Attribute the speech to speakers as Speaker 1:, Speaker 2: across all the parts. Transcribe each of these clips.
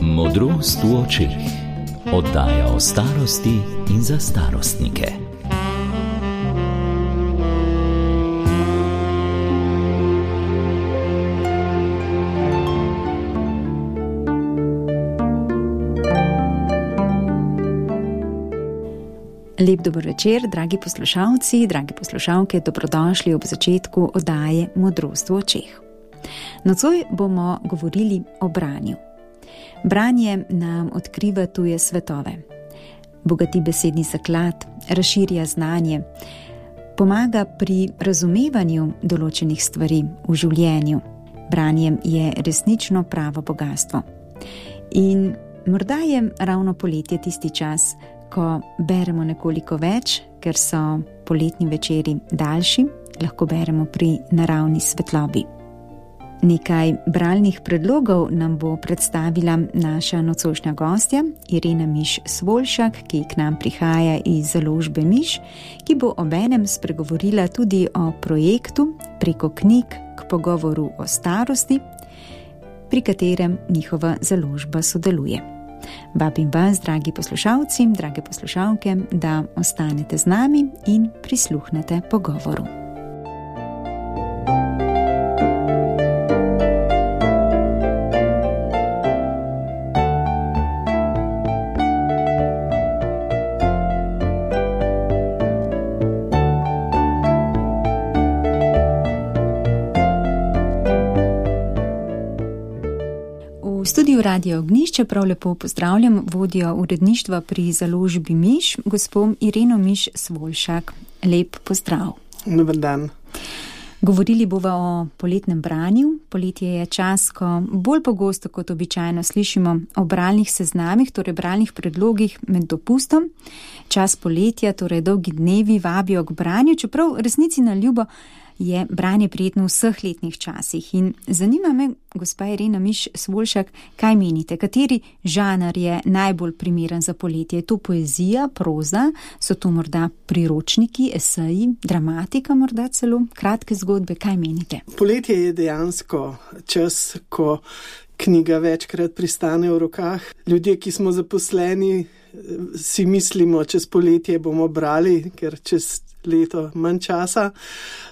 Speaker 1: Modrost v očeh. Oddaja o starosti in za starostnike.
Speaker 2: Lep dober večer, dragi poslušalci, dragi poslušalke, dobrodošli ob začetku oddaje Modrost v očeh. Nocoj bomo govorili o branju. Branje nam odkriva tuje svetove, bogati besedni zaklad, razširja znanje, pomaga pri razumevanju določenih stvari v življenju. Branje je resnično pravo bogastvo. In morda je ravno poletje tisti čas, ko beremo nekoliko več, ker so poletni večeri daljši, lahko beremo pri naravni svetlobi. Nekaj bralnih predlogov nam bo predstavila naša nocojšnja gostja, Irena Miš Svoljšak, ki k nam prihaja iz založbe Miš, ki bo obenem spregovorila tudi o projektu Preko knjig k pogovoru o starosti, pri katerem njihova založba sodeluje. Vabim vas, dragi poslušalci, drage poslušalke, da ostanete z nami in prisluhnete pogovoru. V studiu Radio Ognjišče prav lepo pozdravljam vodjo uredništva pri založbi Miš, gospo Ireno Miš Svoljšak. Lep pozdrav.
Speaker 3: Dober dan.
Speaker 2: Govorili bova o poletnem branju. Poletje je čas, ko bolj pogosto kot običajno slišimo o bralnih seznamih, torej bralnih predlogih med dopustom. Čas poletja, torej dolgi dnevi, vabijo k branju, čeprav resnici na ljubo je branje prijetno v vseh letnih časih. In zanima me, gospa Irena Miš Svoljšak, kaj menite, kateri žanr je najbolj primeren za poletje? Je to poezija, proza, so to morda priročniki, eseji, dramatika, morda celo kratke zgodbe, kaj menite?
Speaker 3: Poletje je dejansko čas, ko knjiga večkrat pristane v rokah. Ljudje, ki smo zaposleni, si mislimo, čez poletje bomo brali, ker čez leto manj časa,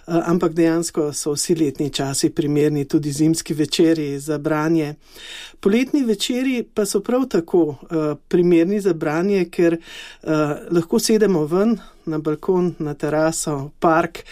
Speaker 3: ampak dejansko so vsi letni časi primerni, tudi zimski večeri za branje. Poletni večeri pa so prav tako primerni za branje, ker lahko sedemo ven na balkon, na teraso, park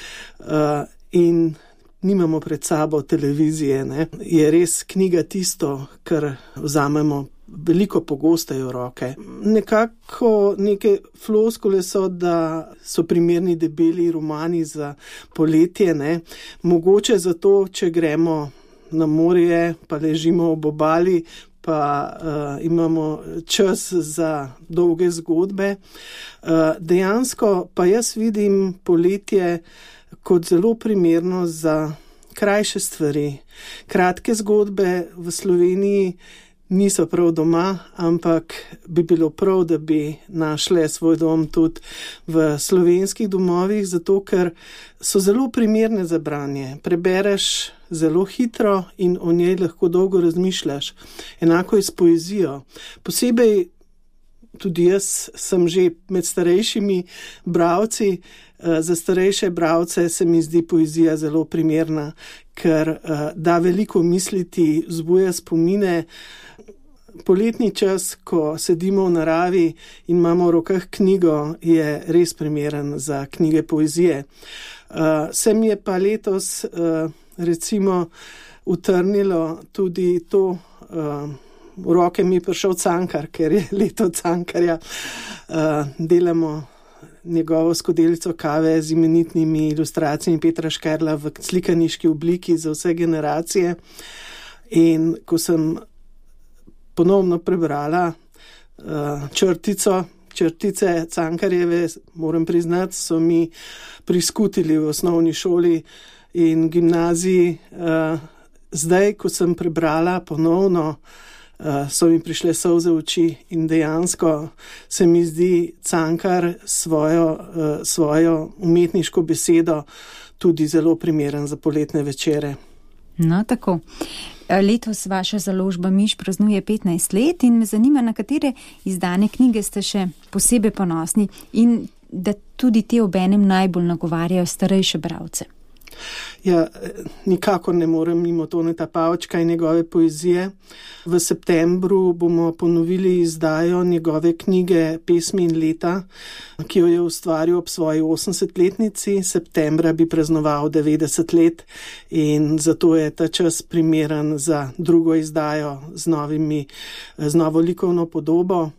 Speaker 3: in nimamo pred sabo televizije. Ne? Je res knjiga tisto, kar vzamemo veliko pogosteje v roke. Nekako neke floskule so, da so primerni debeli romani za poletje, ne? Mogoče zato, če gremo na morje, pa ležimo ob obali, pa imamo čas za dolge zgodbe. Dejansko pa jaz vidim poletje kot zelo primerno za krajše stvari. Kratke zgodbe v Sloveniji niso prav doma, ampak bi bilo prav, da bi našle svoj dom tudi v slovenskih domovih, zato ker so zelo primerne za branje. Prebereš zelo hitro in o njej lahko dolgo razmišljaš. Enako je s poezijo. Posebej tudi jaz sem že med starejšimi bralci. Za starejše bralce se mi zdi poezija zelo primerna, ker da veliko misliti, vzbuja spomine. Poletni čas, ko sedimo v naravi in imamo v rokah knjigo, je res primeren za knjige poezije. Se mi je pa letos recimo utrnilo tudi to, v roke mi je prišel Cankar, ker je leto Cankarja. Delamo njegovo skodelico kave z imenitnimi ilustracijami Petra Škerla v slikaniški obliki za vse generacije. In ko sem ponovno prebrala črtice Cankarjeve, moram priznati, so mi priskutili v osnovni šoli in gimnaziji. Zdaj, ko sem prebrala ponovno, so mi prišle solze v oči in dejansko se mi zdi Cankar svojo umetniško besedo tudi zelo primeren za poletne večere.
Speaker 2: No, tako. Letos vaša založba Miš praznuje 15 let in me zanima, na katere izdane knjige ste še posebej ponosni in da tudi te obenem najbolj nagovarjajo starejše bralce.
Speaker 3: Ja, nikakor ne morem mimo Toneta Pavčka in njegove poezije. V septembru bomo ponovili izdajo njegove knjige Pesmi in leta, ki jo je ustvaril ob svoji 80-letnici. Septembra bi praznoval 90 let in zato je ta čas primeren za drugo izdajo z novo likovno podobo.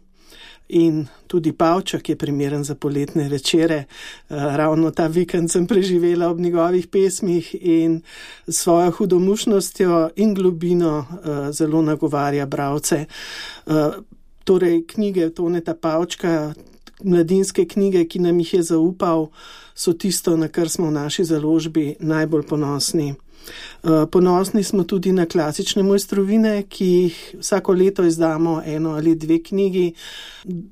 Speaker 3: In tudi Pavček je primeren za poletne večere. Ravno ta vikend sem preživela ob njegovih pesmih in svojo hudomušnostjo in globino zelo nagovarja bralce. Torej, knjige Toneta Pavčka, mladinske knjige, ki nam jih je zaupal, so tisto, na kar smo v naši založbi najbolj ponosni. Ponosni smo tudi na klasične mojstrovine, ki jih vsako leto izdamo 1 ali 2 knjigi.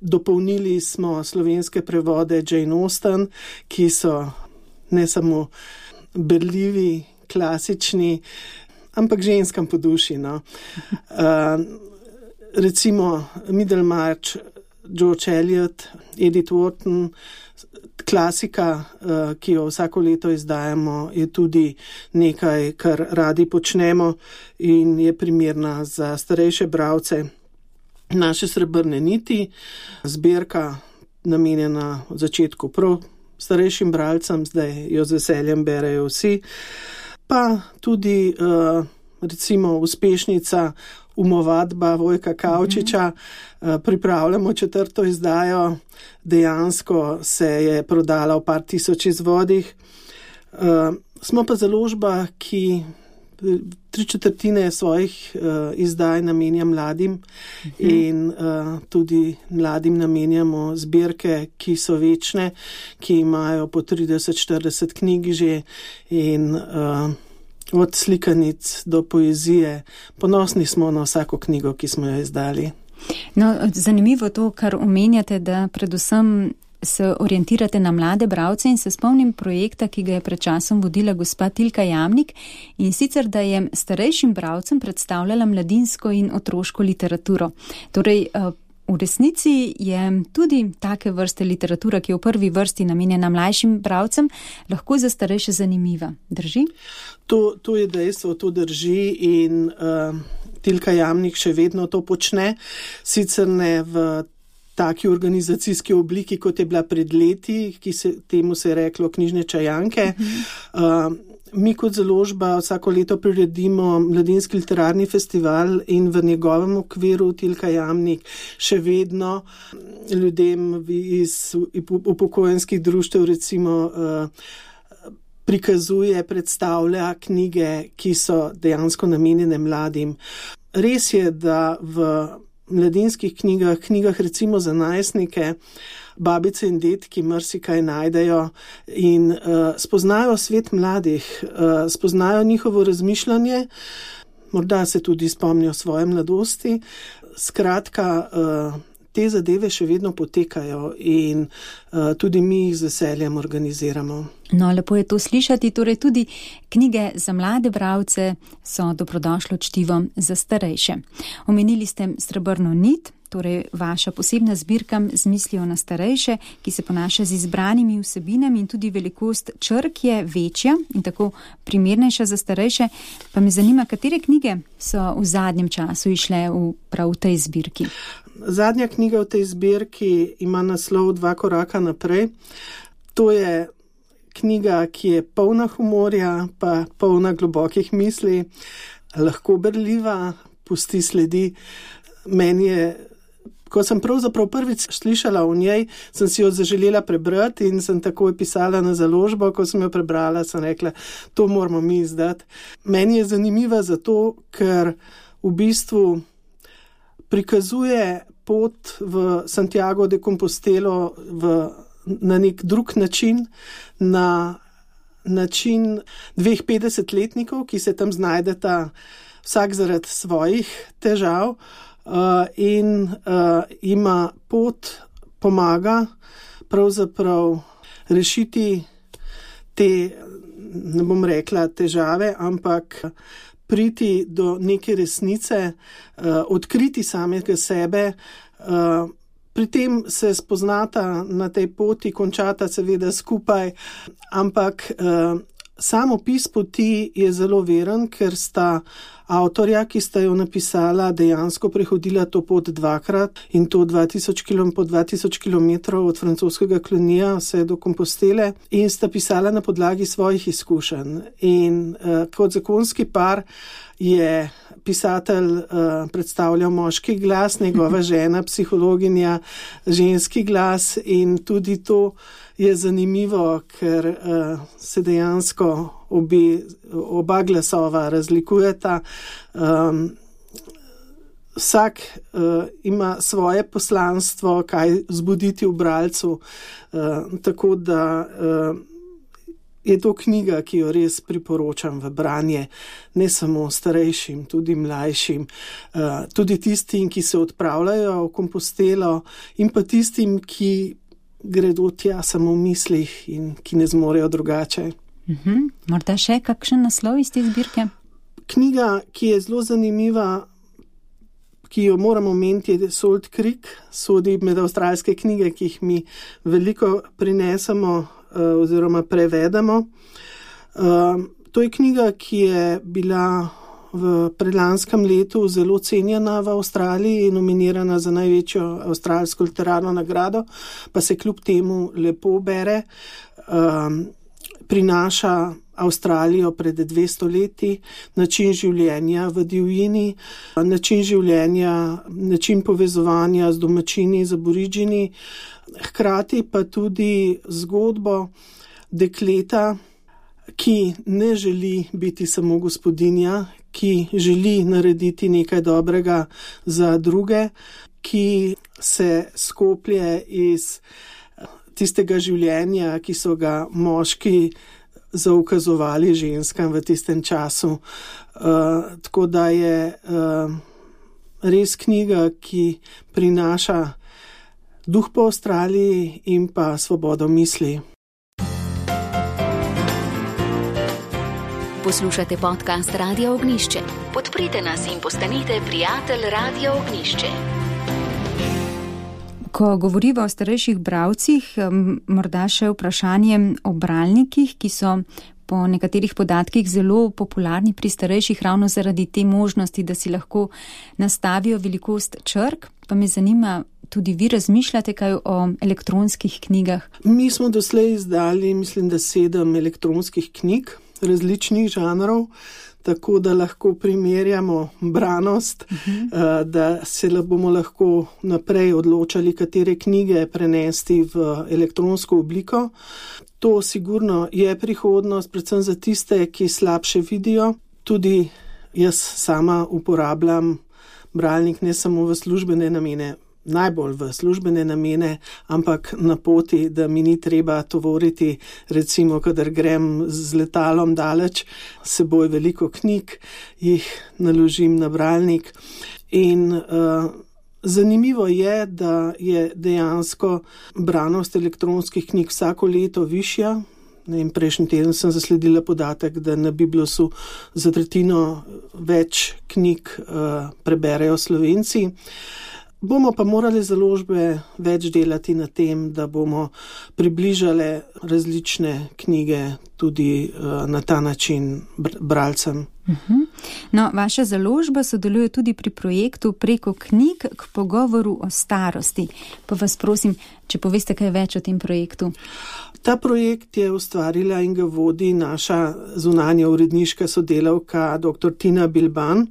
Speaker 3: Dopolnili smo slovenske prevode Jane Austen, ki so ne samo berljivi, klasični, ampak ženskam po duši. No. Recimo Middlemarch, George Eliot, Edith Wharton, klasika, ki jo vsako leto izdajamo, je tudi nekaj, kar radi počnemo in je primerna za starejše bralce. Naše srebrne niti, zbirka namenjena od začetku prav starejšim bralcem, zdaj jo z veseljem berejo vsi, pa tudi recimo uspešnica Umovadba Vojka Kavčiča, pripravljamo 4. izdajo, dejansko se je prodala v par tisoč izvodih. Smo pa založba, ki 3/4 svojih izdaj namenja mladim in tudi mladim namenjamo zbirke, ki so večne, ki imajo po 30-40 knjig že in od slikanic do poezije. Ponosni smo na vsako knjigo, ki smo jo izdali.
Speaker 2: No, zanimivo to, kar omenjate, da predvsem se orientirate na mlade bralce in se spomnim projekta, ki ga je pred časom vodila gospa Tilka Jamnik in sicer, da je starejšim bralcem predstavljala mladinsko in otroško literaturo. Torej, v resnici je tudi take vrste literatura, ki je v prvi vrsti namenjena mlajšim bralcem, lahko za starejše zanimiva. Drži?
Speaker 3: To je dejstvo, to drži in Tilka Jamnik še vedno to počne, sicer ne v taki organizacijski obliki, kot je bila pred leti, temu se je reklo knjižne čajanke. Mi kot založba vsako leto priredimo mladinski literarni festival in v njegovem okviru Tilka Jamnik še vedno ljudem iz upokojenskih društev recimo prikazuje, predstavlja knjige, ki so dejansko namenjene mladim. Res je, da v mladinskih knjigah recimo za najstnike, babice in dedki marsikaj najdejo in spoznajo svet mladih, spoznajo njihovo razmišljanje, morda se tudi spomnijo svoje mladosti. Skratka, te zadeve še vedno potekajo in tudi mi jih z veseljem organiziramo.
Speaker 2: No, lepo je to slišati, torej tudi knjige za mlade bralce so dobrodošlo čtivo za starejše. Omenili ste Srebrno nit, torej vaša posebna zbirka z mislijo na starejše, ki se ponaša z izbranimi vsebinami in tudi velikost črk je večja in tako primernejša za starejše. Pa me zanima, katere knjige so v zadnjem času išle prav v tej zbirki?
Speaker 3: Zadnja knjiga v tej zbirki ima naslov 2 koraka naprej. To je knjiga, ki je polna humorja, pa polna globokih misli, lahko berljiva, pusti sledi. Meni je, ko sem pravzaprav prvič slišala o njej, sem si jo zaželela prebrati in sem takoj pisala na založbo. Ko sem jo prebrala, sem rekla, to moramo mi izdati. Meni je zanimiva zato, ker v bistvu prikazuje pot v Santiago de Compostelo na nek drug način, na način 2 50-letnikov, ki se tam znajdeta vsak zaradi svojih težav in ima pot, pomaga pravzaprav rešiti te, ne bom rekla težave, ampak priti do neke resnice, odkriti samega sebe. Pri tem se spoznata na tej poti, končata seveda skupaj, ampak sam opis poti je zelo veren, ker sta avtorja, ki sta jo napisala, dejansko prehodila to pot dvakrat in to 2000 km od francoskega Clunyja vse do Compostele in sta pisala na podlagi svojih izkušenj. In kot zakonski par je pisatelj predstavljal moški glas, njegova žena, psihologinja, ženski glas in tudi to je zanimivo, ker se dejansko oba glasova razlikujeta. Vsak ima svoje poslanstvo, kaj vzbuditi v bralcu, tako da je to knjiga, ki jo res priporočam v branje, ne samo starejšim, tudi mlajšim, tudi tistim, ki se odpravljajo v Compostelo in pa tistim, ki gredo tja samo v mislih in ki ne zmorejo drugače.
Speaker 2: Morda še kakšen naslov iz te zbirke?
Speaker 3: Knjiga, ki je zelo zanimiva, ki jo moramo omeniti, je Salt Creek, sodi med avstralske knjige, ki jih mi veliko prinesemo oziroma prevedemo. To je knjiga, ki je bila v predlanskem letu zelo cenjena v Avstraliji in nominirana za največjo avstralsko literarno nagrado, pa se kljub temu lepo bere. Prinaša Avstralijo pred 200 leti, način življenja v divjini, način življenja, način povezovanja z domačini, z aboridžini, hkrati pa tudi zgodbo dekleta, ki ne želi biti samo gospodinja, ki želi narediti nekaj dobrega za druge, ki se skoplje iz tistega življenja, ki so ga moški zaukazovali ženskam v tistem času. Tako da je res knjiga, ki prinaša duh po Avstraliji in pa svobodo misli.
Speaker 1: Poslušate podcast Radio Ognjišče. Podprite nas in postanite prijatelj Radio Ognjišče.
Speaker 2: Ko govoriva o starejših bralcih, morda še vprašanje o bralnikih, ki so po nekaterih podatkih zelo popularni pri starejših ravno zaradi te možnosti, da si lahko nastavijo velikost črk. Pa me zanima, tudi vi razmišljate kaj o elektronskih knjigah?
Speaker 3: Mi smo doslej izdali, mislim, da 7 elektronskih knjig različnih žanrov, tako da lahko primerjamo branost, da se bomo lahko naprej odločali, katere knjige prenesti v elektronsko obliko. To sigurno je prihodnost, predvsem za tiste, ki slabše vidijo. Tudi jaz sama uporabljam bralnik ne samo v službene namene, najbolj v službene namene, ampak na poti, da mi ni treba tovoriti, recimo, kadar grem z letalom daleč, seboj veliko knjig, jih naložim na bralnik. In zanimivo je, da je dejansko branost elektronskih knjig vsako leto višja. Prejšnji teden sem zasledila podatek, da na Biblosu za tretjino več knjig preberejo Slovenci. Bomo pa morali založbe več delati na tem, da bomo približali različne knjige tudi na ta način bralcem.
Speaker 2: No, vaša založba sodeluje tudi pri projektu Preko knjig k pogovoru o starosti. Pa vas prosim, če poveste kaj več o tem projektu.
Speaker 3: Ta projekt je ustvarila in ga vodi naša zunanja uredniška sodelavka dr. Tina Bilban.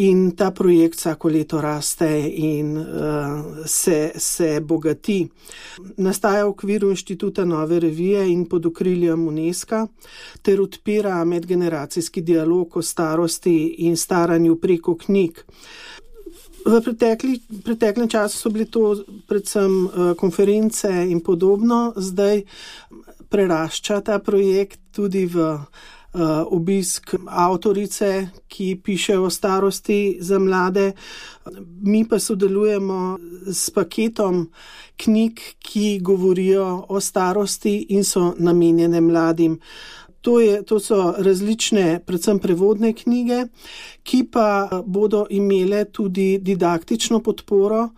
Speaker 3: In ta projekt vsako leto raste in se bogati. Nastaja v okviru Inštituta Nove revije in pod okriljem UNESCO ter odpira medgeneracijski dialog o starosti in staranju preko knjig. V preteklem času so bili to predvsem konference in podobno, zdaj prerašča ta projekt tudi v obisk avtorice, ki piše o starosti za mlade. Mi pa sodelujemo s paketom knjig, ki govorijo o starosti in so namenjene mladim. To so različne, predvsem prevodne knjige, ki pa bodo imele tudi didaktično podporo.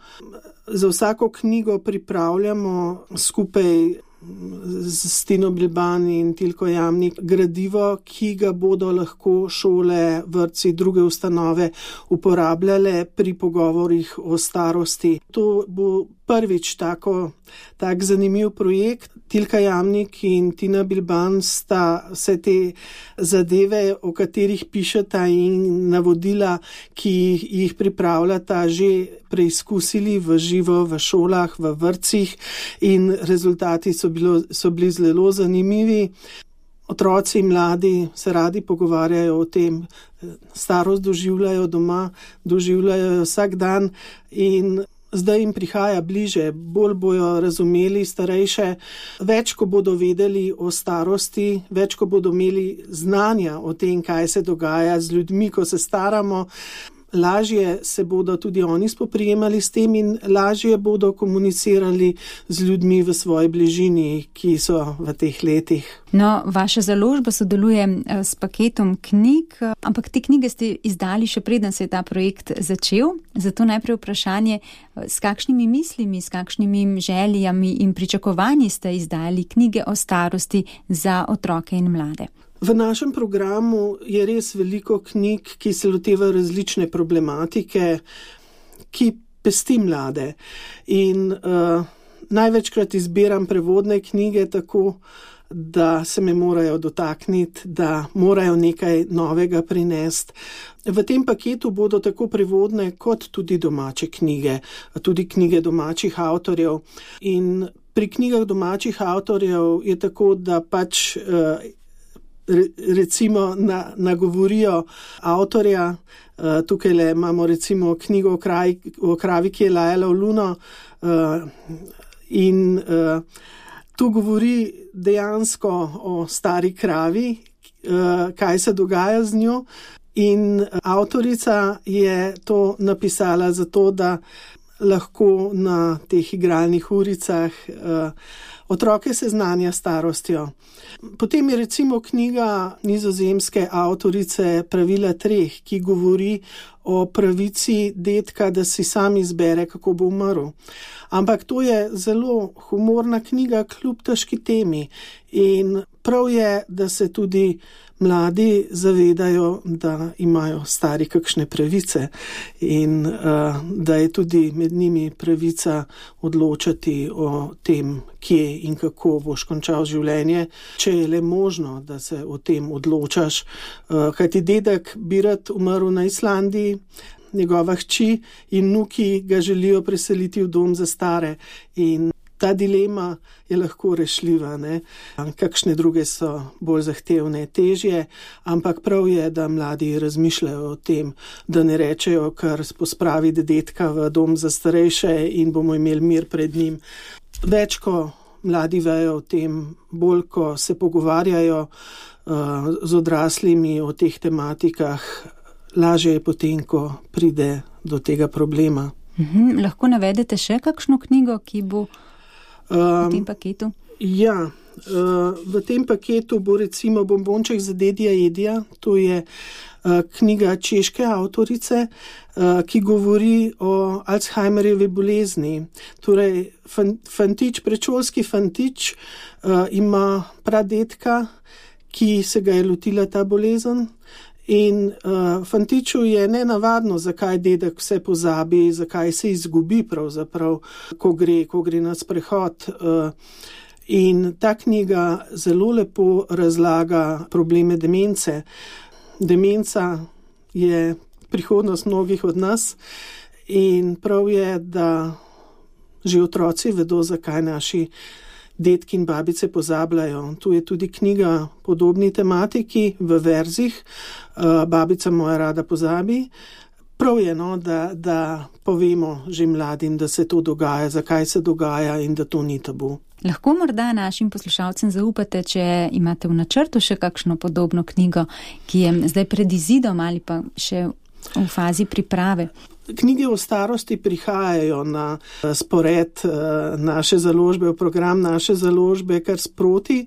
Speaker 3: Za vsako knjigo pripravljamo skupaj z Tino Bilban in Tilko Jamnik gradivo, ki ga bodo lahko šole, vrtci, druge ustanove uporabljale pri pogovorih o starosti. To bo prvič tak zanimiv projekt. Tilka Jamnik in Tina Bilban sta vse te zadeve, o katerih pišeta, in navodila, ki jih pripravljata, že preizkusili v živo v šolah, v vrtcih, in rezultati so bili zelo zanimivi. Otroci in mladi se radi pogovarjajo o tem, starost doživljajo doma, doživljajo vsak dan in zdaj jim prihaja bliže, bolj bojo razumeli starejše, več ko bodo vedeli o starosti, več ko bodo imeli znanja o tem, kaj se dogaja z ljudmi, ko se staramo. Lažje se bodo tudi oni spoprijemali s tem in lažje bodo komunicirali z ljudmi v svoji bližini, ki so v teh letih.
Speaker 2: No, vaša založba sodeluje s paketom knjig, ampak te knjige ste izdali še preden se je ta projekt začel. Zato najprej vprašanje, s kakšnimi mislimi, s kakšnimi željami in pričakovanji ste izdali knjige o starosti za otroke in mlade?
Speaker 3: V našem programu je res veliko knjig, ki se lotevajo različne problematike, ki pesti mlade. In največkrat izbiram prevodne knjige tako, da se me morajo dotakniti, da morajo nekaj novega prinesti. V tem paketu bodo tako prevodne kot tudi domače knjige, tudi knjige domačih avtorjev. In pri knjigah domačih avtorjev je tako, da pač recimo nagovorijo avtorja. Tukaj imamo recimo knjigo o kravi, ki je lajala v luno, in tu govori dejansko o stari kravi, kaj se dogaja z njo, in avtorica je to napisala zato, da lahko na teh igralnih uricah otroke seznanja s starostjo. Potem je recimo knjiga nizozemske avtorice Pravila 3, ki govori o pravici dedka, da si sam izbere, kako bo umrl. Ampak to je zelo humorna knjiga kljub težki temi in prav je, da se tudi mladi zavedajo, da imajo stari kakšne pravice in da je tudi med njimi pravica odločati o tem, kje in kako boš končal življenje, če je le možno, da se o tem odločaš. Kajti dedek bi rad umrl na Islandiji, njegova hči in vnuki ga želijo preseliti v dom za stare in ta dilema je lahko rešljiva, ne? Kakšne druge so bolj zahtevne, težje, ampak prav je, da mladi razmišljajo o tem, da ne rečejo kar pospraviti dedka v dom za starejše in bomo imeli mir pred njim. Več, ko mladi vejo o tem, bolj, ko se pogovarjajo z odraslimi o teh tematikah, lažje je potem, ko pride do tega problema.
Speaker 2: Lahko navedete še kakšno knjigo, ki bo v tem paketu?
Speaker 3: Ja, v tem paketu bo recimo Bombonček za dedija Edija. To je knjiga češke avtorice, ki govori o Alzheimerjevi bolezni. Torej, predšolski fantič ima pradedka, ki se ga je lotila ta bolezen. In fantiču je nenavadno, zakaj dedek vse pozabi, zakaj se izgubi pravzaprav, ko gre na sprehod. In ta knjiga zelo lepo razlaga probleme demence. Demenca je prihodnost mnogih od nas in prav je, da že otroci vedo, zakaj naši dedki in babice pozabljajo. Tu je tudi knjiga podobni tematiki v verzih, Babica moja rada pozabi. Prav je, da povemo že mladim, da se to dogaja, zakaj se dogaja in da to ni tabu.
Speaker 2: Lahko morda našim poslušalcem zaupate, če imate v načrtu še kakšno podobno knjigo, ki je zdaj pred izidom ali pa še v fazi priprave?
Speaker 3: Knjige o starosti prihajajo na spored naše založbe, v program naše založbe kar sproti.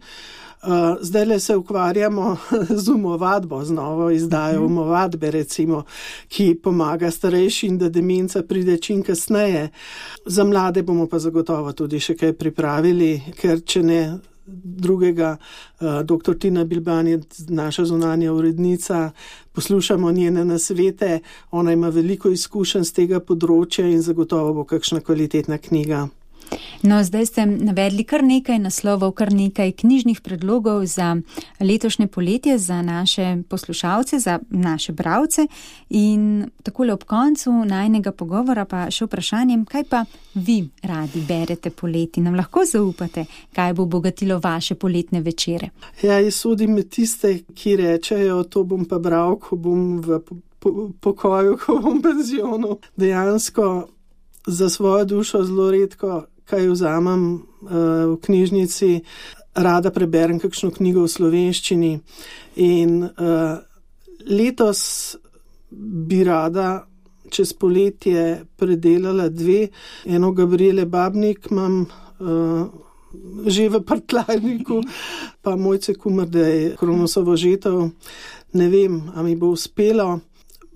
Speaker 3: Zdajle se ukvarjamo z umovadbo, z novo izdajo umovadbe, recimo, ki pomaga starejšim, da demenca pride čim kasneje. Za mlade bomo pa zagotovo tudi še kaj pripravili, ker če ne drugega, dr. Tina Bilban je naša zunanja urednica, poslušamo njene nasvete, ona ima veliko izkušenj z tega področja in zagotovo bo kakšna kvalitetna knjiga.
Speaker 2: No, zdaj ste navedli kar nekaj naslovov, kar nekaj knjižnih predlogov za letošnje poletje, za naše poslušalce, za naše bralce in takole ob koncu najnega pogovora pa še vprašanjem, kaj pa vi radi berete poleti? Nam lahko zaupate, kaj bo obogatilo vaše poletne večere?
Speaker 3: Ja, jaz sodim med tiste, ki rečejo, to bom pa bral, ko bom v pokoju, ko bom v penzionu. Dejansko za svojo dušo zelo redko kaj vzamem v knjižnici, rada preberem kakšno knjigo v slovenščini in letos bi rada čez poletje predelala 2. Eno Gabriele Babnik imam že v prtlajniku, pa Mojce Kumrdej, Kronosovo žetev. Ne vem, a mi bo uspelo.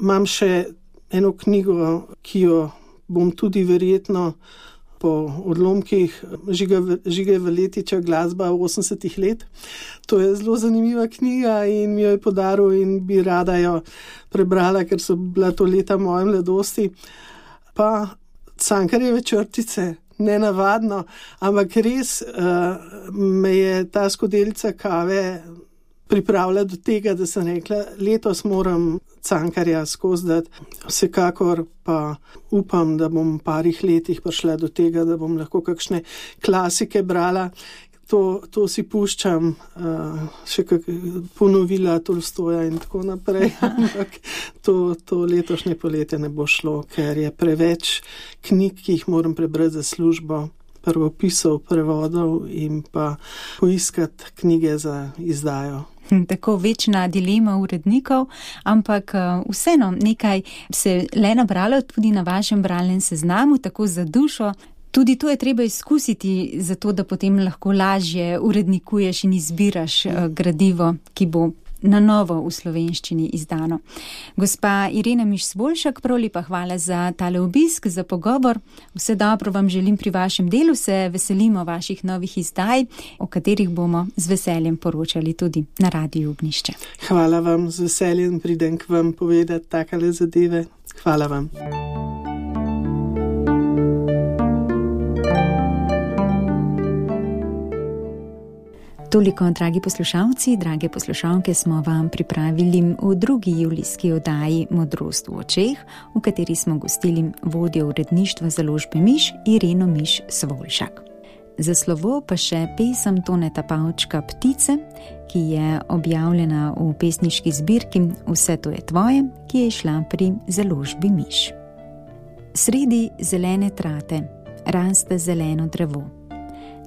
Speaker 3: Imam še eno knjigo, ki jo bom tudi verjetno po odlomkih Žige Valetiča Glasba 80 let. To je zelo zanimiva knjiga in mi jo je podaril in bi rada jo prebrala, ker so bila to leta moje mladosti. Pa Cankarjeve črtice, nenavadno, ampak res me je ta skodelica kave pripravila do tega, da sem rekla, letos moram Cankarja skozi dati. Vsekakor pa upam, da bom v parih letih prišla do tega, da bom lahko kakšne klasike brala. To si puščam, še ponovila Tolstoja in tako naprej, ampak to letošnje poletje ne bo šlo, ker je preveč knjig, ki jih moram prebrati za službo, prvopisov, prevodov in pa poiskati knjige za izdajo.
Speaker 2: Tako večna dilema urednikov, ampak vseeno nekaj se le nabralo tudi na vašem bralnem seznamu, tako za dušo. Tudi to je treba izkusiti, zato da potem lahko lažje urednikuješ in izbiraš gradivo, ki bo na novo v slovenščini izdano. Gospa Irena Miš-Svoljšak, prav lepa hvala za tale obisk, za pogovor. Vse dobro vam želim pri vašem delu, se veselimo vaših novih izdaj, o katerih bomo z veseljem poročali tudi na Radiu Ognjišče.
Speaker 3: Hvala vam, z veseljem pridem k vam povedati takale zadeve. Hvala vam.
Speaker 2: Toliko, dragi poslušalci, drage poslušalke, smo vam pripravili v 2. julijski oddaji Modrost v očeh, v kateri smo gostili vodjo uredništva založbe Miš Ireno Miš-Svoljšak. Za slovo pa še pesem Toneta Pavčka Ptice, ki je objavljena v pesniški zbirki Vse to je tvoje, ki je išla pri založbi Miš. Sredi zelene trate raste zeleno drevo.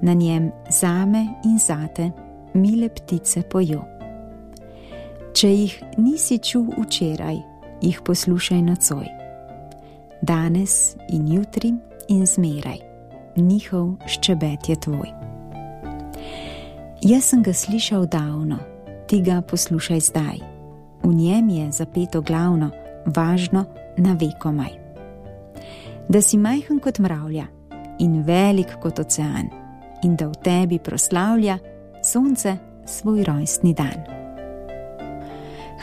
Speaker 2: Na njem zame in zate mile ptice pojo. Če jih nisi čul včeraj, jih poslušaj nocoj. Danes in jutri in zmeraj, njihov ščebet je tvoj. Jaz sem ga slišal davno, ti ga poslušaj zdaj. V njem je zapeto glavno, važno na vekomaj. Da si majhen kot mravlja in velik kot ocean, in da v tebi proslavlja sonce svoj rojstni dan.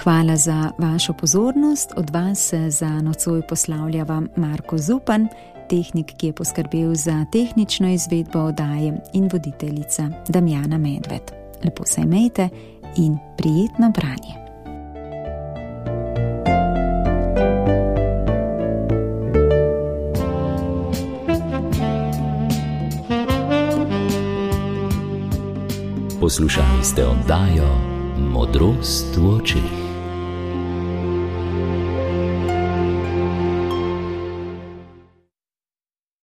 Speaker 2: Hvala za vašo pozornost, od vas se za nocoj poslavljava Marko Zupan, tehnik, ki je poskrbel za tehnično izvedbo oddaje, in voditeljica Damjana Medved. Lepo se imejte in prijetno branje.
Speaker 1: Poslušali ste oddajo Modrost v očeh.